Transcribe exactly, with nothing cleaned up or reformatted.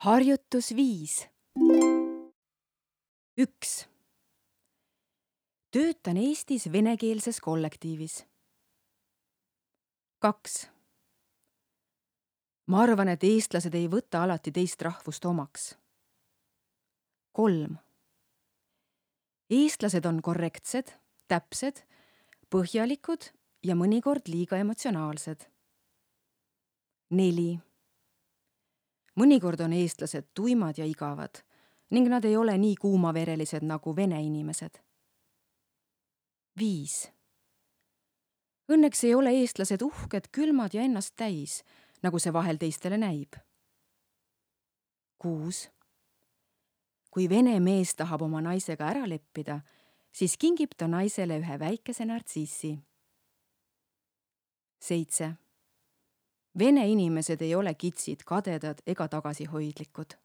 Harjutus viis. üks. Töötan Eestis venekeelses kollektiivis. kaks. Ma arvan, et eestlased ei võta alati teist rahvust omaks. kolm. Eestlased on korrektsed, täpsed, põhjalikud ja mõnikord liiga emotsionaalsed. neli. Mõnikord on eestlased tuimad ja igavad ning nad ei ole nii kuumaverelised nagu vene inimesed. viis. Õnneks ei ole eestlased uhked, külmad ja ennast täis, nagu see vahel teistele näib. kuus. Kui vene mees tahab oma naisega ära leppida, siis kingib ta naisele ühe väikese nartsissi. seitse. Vene inimesed ei ole kitsid, kadedad ega tagasihoidlikud.